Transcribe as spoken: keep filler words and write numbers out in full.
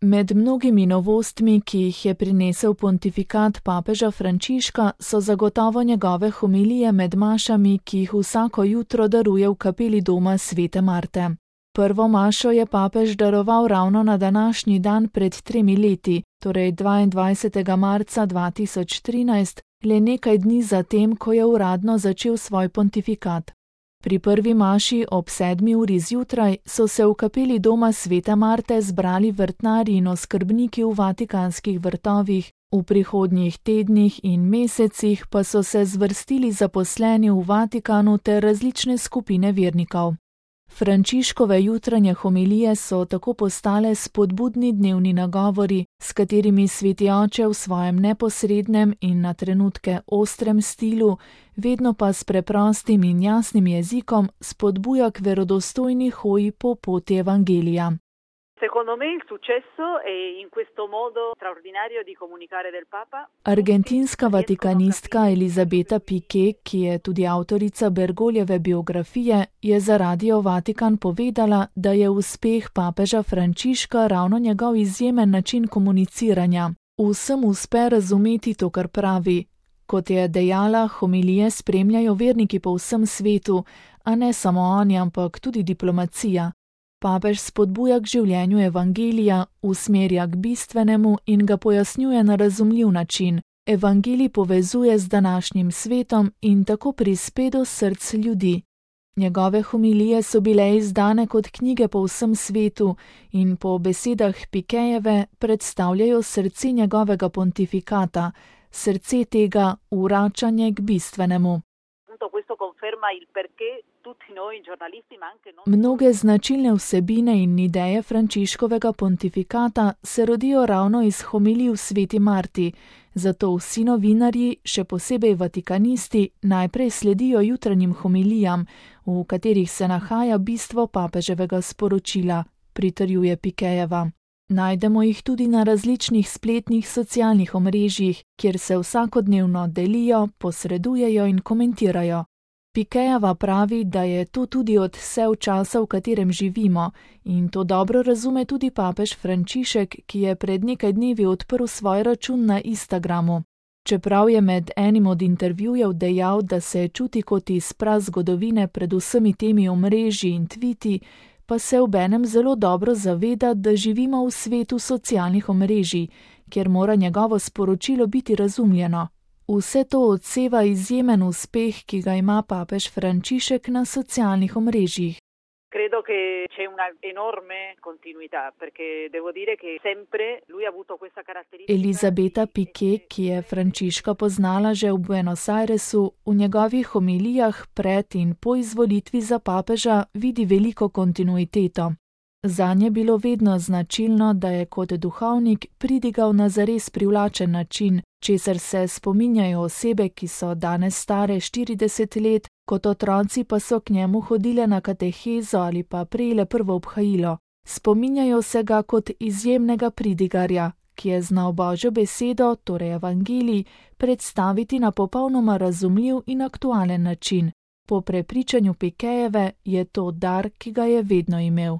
Med mnogimi novostmi, ki jih je prinesel pontifikat papeža Frančiška, so zagotovo njegove homilije med mašami, ki jih vsako jutro daruje v kapeli doma svete Marte. Prvo mašo je papež daroval ravno na današnji dan pred tremi leti, torej dvaindvajsetega marca dva tisoč trinajst, le nekaj dni zatem, ko je uradno začel svoj pontifikat. Pri prvi maši ob sedmi uri zjutraj so se v kapeli doma svete Marte zbrali vrtnarji in oskrbniki v vatikanskih vrtovih, v prihodnjih tednih in mesecih pa so se zvrstili zaposleni v Vatikanu ter različne skupine vernikov. Frančiškove jutranje homilije so tako postale spodbudni dnevni nagovori, s katerimi sveti oče v svojem neposrednem in na trenutke ostrem stilu, vedno pa s preprostim in jasnim jezikom, spodbuja k verodostojni hoji po poti evangelija. Secondo me il successo è in questo modo straordinario di comunicare del Papa. Argentinska vatikanistka Elisabeta Piqué, ki je tudi avtorica Bergoljeve biografije, je za Radio Vatikan povedala, da je uspeh papeža Frančiška ravno njegov izjemen način komuniciranja. Vsem uspe razumeti to, kar pravi. Kot je dejala, homilije spremljajo verniki po vsem svetu, a ne samo oni, ampak tudi diplomacija. Papež spodbuja k življenju evangelija, usmerja k bistvenemu in ga pojasnjuje na razumljiv način. Evangelij povezuje z današnjim svetom in tako prispe do src ljudi. Njegove homilije so bile izdane kot knjige po vsem svetu in po besedah Piquéjeve predstavljajo srce njegovega pontifikata, srce tega vračanje k bistvenemu. Mnoge značilne vsebine in ideje Frančiškovega pontifikata se rodijo ravno iz homilij v sveti Marti, zato vsi novinarji, še posebej vatikanisti, najprej sledijo jutranjim homilijam, v katerih se nahaja bistvo papeževega sporočila, pritrjuje Piquéjeva. Najdemo jih tudi na različnih spletnih socialnih omrežjih, kjer se vsakodnevno delijo, posredujejo in komentirajo. Piquéjeva pravi, da je to tudi odsev časa, v katerem živimo, in to dobro razume tudi papež Frančišek, ki je pred nekaj dnevi odprl svoj račun na Instagramu. Čeprav je med enim od intervjujev dejal, da se čuti kot iz prazgodovine pred vsemi temi omrežji in tviti, pa se obenem zelo dobro zaveda, da živimo v svetu socialnih omrežij, kjer mora njegovo sporočilo biti razumljeno. Vse to odseva izjemen uspeh, ki ga ima papež Frančišek na socialnih omrežjih. Credo che c'è una enorme continuità, perché devo dire che sempre lui ha avuto questa caratteristica. Elisabeta Piqué, ki je Frančiška poznala že v Buenos Airesu, v njegovih homilijah pred in po izvolitvi za papeža vidi veliko kontinuiteto. Zanje je bilo vedno značilno, da je kot duhovnik pridigal na zares privlačen način, česar se spominjajo osebe, ki so danes stare štirideset let, kot otroci pa so k njemu hodile na katehezo ali pa prejele prvo obhajilo. Spominjajo se ga kot izjemnega pridigarja, ki je znal Božjo besedo, torej evangelij, predstaviti na popolnoma razumljiv in aktualen način. Po prepričanju Piquéjeve je to dar, ki ga je vedno imel.